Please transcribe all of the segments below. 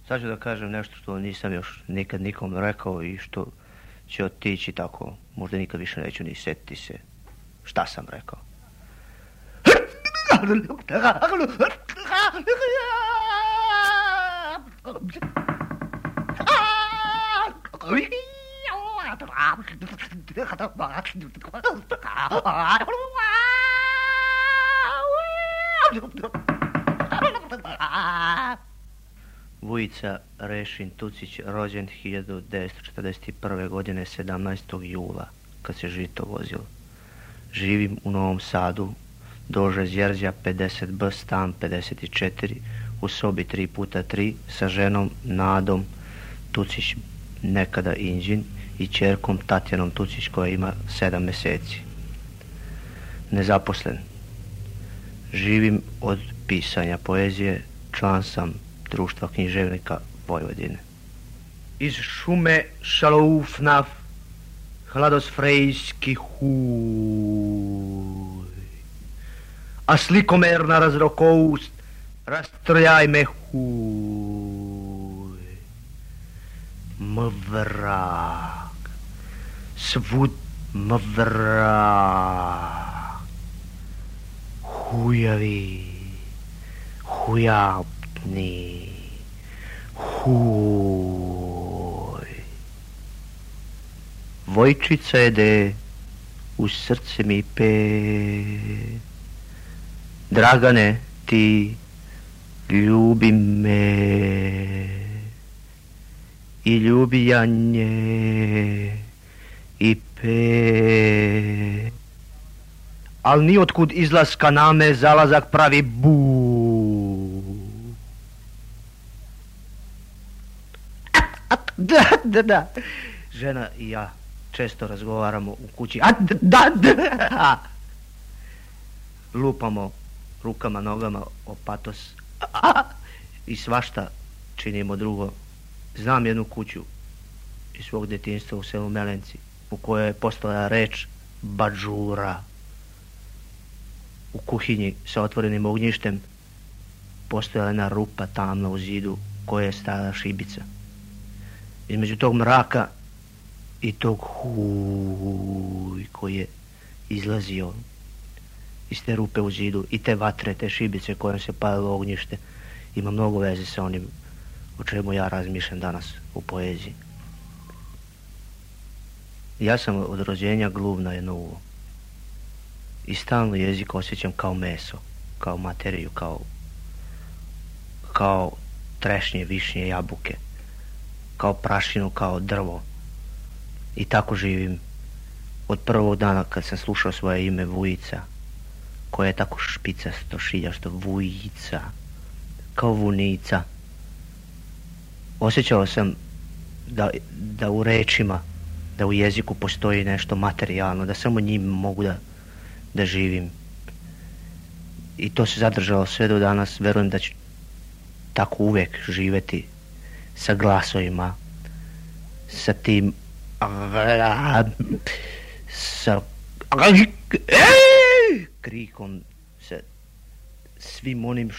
Sad ću da kažem nešto što nisam još nikad nikom rekao i što će otići tako. Možda nikad više neću ni setiti se šta sam rekao. Vujica Rešin Tucić, rođen 1941. godine 17. jula, kad se žito vozilo. Živim u Novom Sadu, Dože Zjerzja 50B, stan 54, u sobi 3x3, sa ženom Nadom Tucić, nekada Inđin, i ćerkom Tatjanom Tucić, koja ima 7 meseci. Nezaposlen. Živim od pisanja poezije, član sam Društva književnika Vojvodine. Iz šume šaloufnaf, hladosfrejski huj, a slikomerna razrokoust, rastrojaj me huj. Mvrak, svud mvrak, hujavi, hujapni, huj. Vojčica jede, u srce mi pe. Dragane, ti ljubi me i ljubi ja nje i pe. Al nijotkud izlaska name zalazak pravi bu. Da. Žena i ja često razgovaramo u kući. Da. Lupamo rukama, nogama o patos i svašta činimo drugo. Znam jednu kuću iz svog djetinjstva u selu Melenci, u kojoj je postojala reč badžura. U kuhinji sa otvorenim ognjištem postojala jedna rupa tamna u zidu koja je stajala šibica. Između tog mraka i tog huj koji je izlazio iz te rupe u zidu i te vatre, te šibice kojom se palilo ognjište, ima mnogo veze sa onim o čemu ja razmišljam danas u poeziji. Ja sam od rođenja gluv na jedno uvo i stalno jezik osjećam kao meso, kao materiju, kao trešnje, višnje, jabuke, kao prašinu, kao drvo. I tako živim od prvog dana kad sam slušao svoje ime Vujica, koje je tako špicasto, šiljašto, Vujica, kao vunica. Osjećao sam da u rečima, da u jeziku postoji nešto materijalno, da samo njim mogu da živim. I to se zadržalo sve do danas. Verujem da ću tako uvijek živjeti sa glasovima, sa tim sa krikom, sa svim onim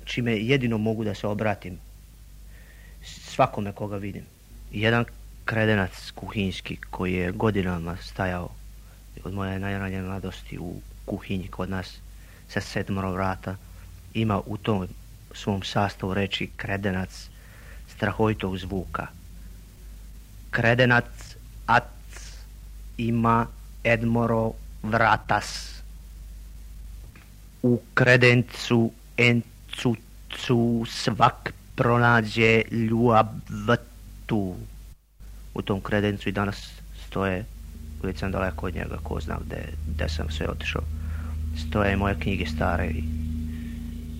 čime jedino mogu da se obratim svakome koga vidim. Jedan kredenac kuhinjski koji je godinama stajao od moje najranije mladosti u kuhinji kod nas sa 7 vrata ima u tom svom sastavu reči kredenac strahovitog zvuka. Kredenac ac ima edmoro vratas. U kredencu encucu svak pronađe ljubavtu. U tom kredencu i danas stoje, uvijek sam daleko od njega, ko zna gde sam sve otišao, stoje moje knjige stare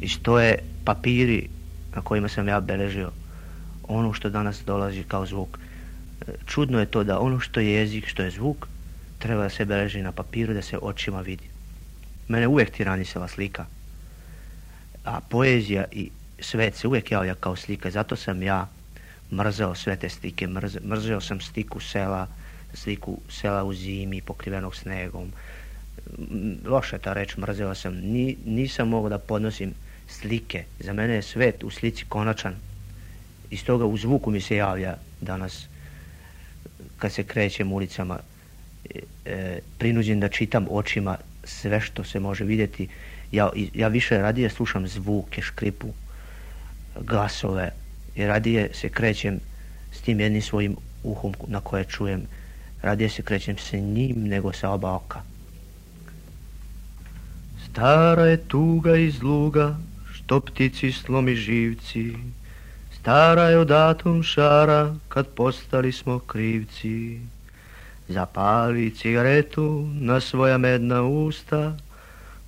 i stoje papiri na kojima sam ja beležio ono što danas dolazi kao zvuk. Čudno je to da ono što je jezik, što je zvuk, treba da se beleži na papiru, da se očima vidi. Mene uvijek tiranisala slika, a poezija i svet se uvijek javlja kao slika. Zato sam ja mrzeo sve te slike. Mrzeo sam sliku sela u zimi pokrivenog snegom. Loša ta reč, mrzeo sam. Nisam mogao da podnosim slike. Za mene je svet u slici konačan. Iz toga u zvuku mi se javlja danas, kad se krećem ulicama, prinuđen da čitam očima sve što se može vidjeti. Ja više radije slušam zvuke, škripu, glasove, i radije se krećem s tim jednim svojim uhom na koje čujem. Radije se krećem s njim nego sa oba oka. Stara je tuga iz luga, što ptici slomi živci. Stara je od atom šara, kad postali smo krivci. Zapali cigaretu na svoja medna usta,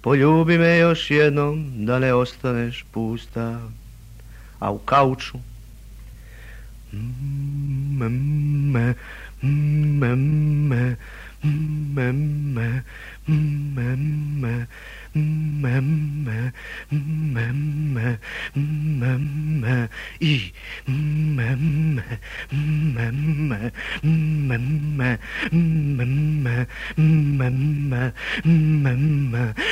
poljubi me još jednom da ne ostaneš pusta. A u kauču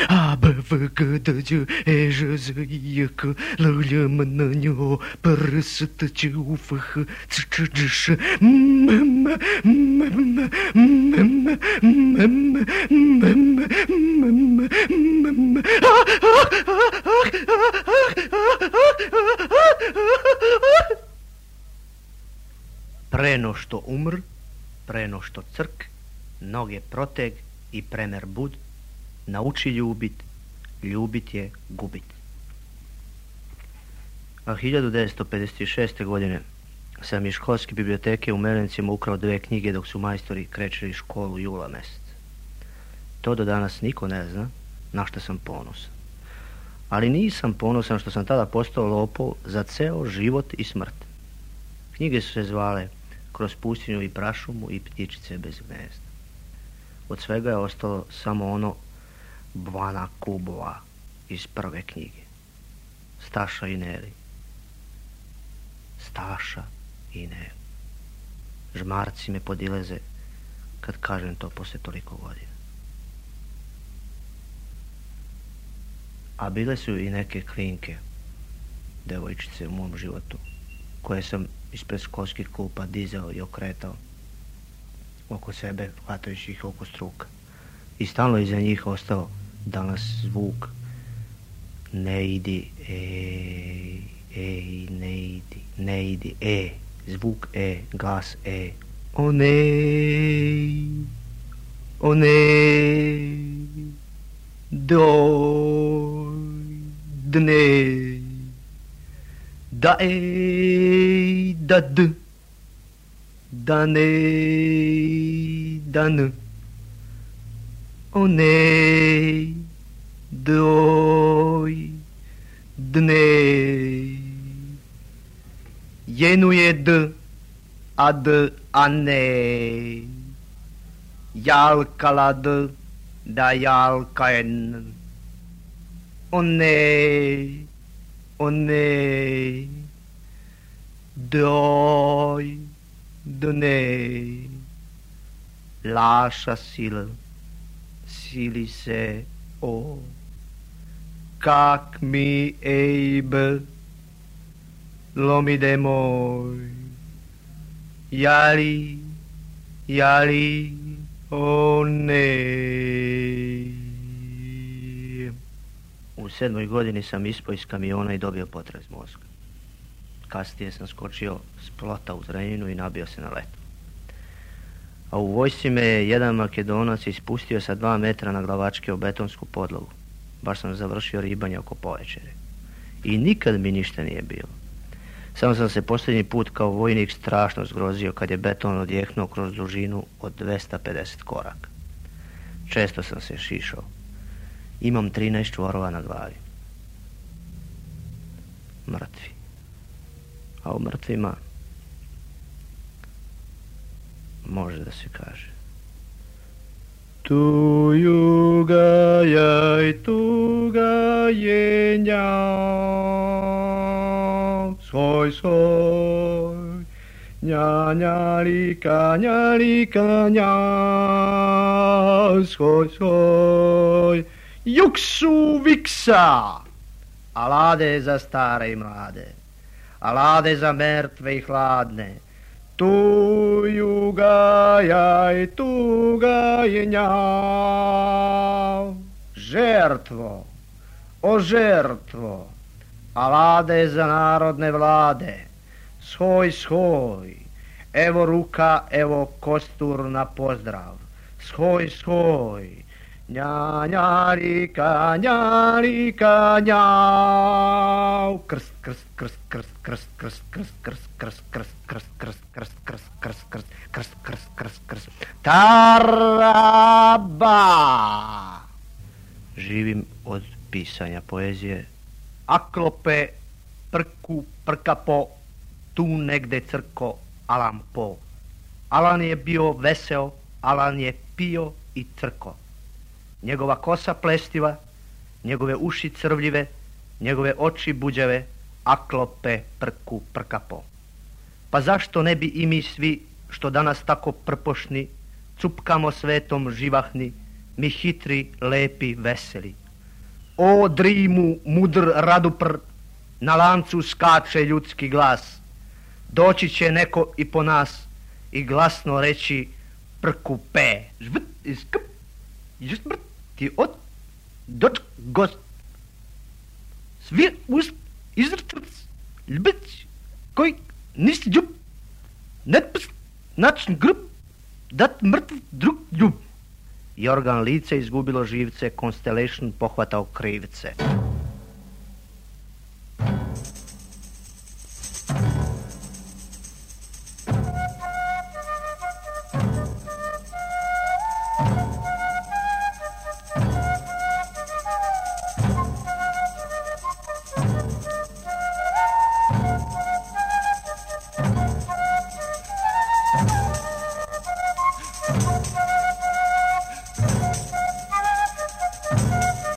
A B V G D J E Ž Z I K L J M N Ň O P R S T Č U F H C Č Ž Š Preno što umr, preno što crk, noge proteg i premer bud, nauči ljubit, ljubit je gubit. A 1956. godine sam iz školske biblioteke u Melencima ukrao 2 knjige dok su majstori krečili školu jula mjesec. To do danas niko ne zna, na što sam ponosan. Ali nisam ponosan što sam tada postao lopov za ceo život i smrt. Knjige su se zvale Kroz pustinju i prašumu i Ptičice bez gnezda. Od svega je ostalo samo ono Bvana Kubova iz prve knjige. Staša i Neli. Staša i Neli. Žmarci me podileze kad kažem to posle toliko godina. A bile su i neke klinke, devojčice u mom životu, koje sam ispred školskih klupa dizao i okretao oko sebe, hvatajući ih oko struka. I stalno iza njih ostao danas zvuk ne idi, ne idi, zvuk glas o ne, doj, dne, da da d, da ne, da n, o ne, doj, dne, jenuje d, a ne, jalkala d, da jalka en, o ne, doj, dne, laša sili se o, kak mi ejbe, lomide moj, jali, o ne. U 7. godini sam ispao iz kamiona i dobio potres mozga. Kasnije sam skočio s plota u Zrenjaninu i nabio se na letu. A u vojsci me je jedan Makedonac ispustio sa 2 metra na glavačke o betonsku podlogu. Baš sam završio ribanje oko povečere. I nikad mi ništa nije bilo. Samo sam se posljednji put kao vojnik strašno zgrozio kad je beton odjehnuo kroz dužinu od 250 koraka. Često sam se šišao. Imam 13 čvorova na glavi. Mrtvi. A u mrtvima može da se kaže tu juga jaj tuga jenja soj nja lika nja soj juksu viksa alade za stare i mlade, a lade za mrtve i hladne. Tuga je njav. Žrtvo, o žrtvo, a lade za narodne vlade. Shoj, evo ruka, evo kostur na pozdrav. Shoj, njarika, njav. Krst, taraba. Živim od pisanja poezije. Aklope, prku, prkapo, tu negde crko, Alan Po. Alan je bio veseo, Alan je pio i crko. Njegova kosa plestiva, njegove uši crvljive, njegove oči buđave, aklope, prku, prkapo. Pa zašto ne bi i mi svi, što danas tako prpošni, cupkamo svetom živahni, mi hitri, lepi, veseli. O drimu, mudr radupr, na lancu skače ljudski glas. Doći će neko i po nas i glasno reći prku pe. Žvrt iz kp, žvrt ti od, doč gost. Svir ust, izrtrc, ljbic, koj nis džub, netpst, načn grb, dat mrtv drug ljub. Jorgan lice izgubilo živce, Constellation pohvatao krivce.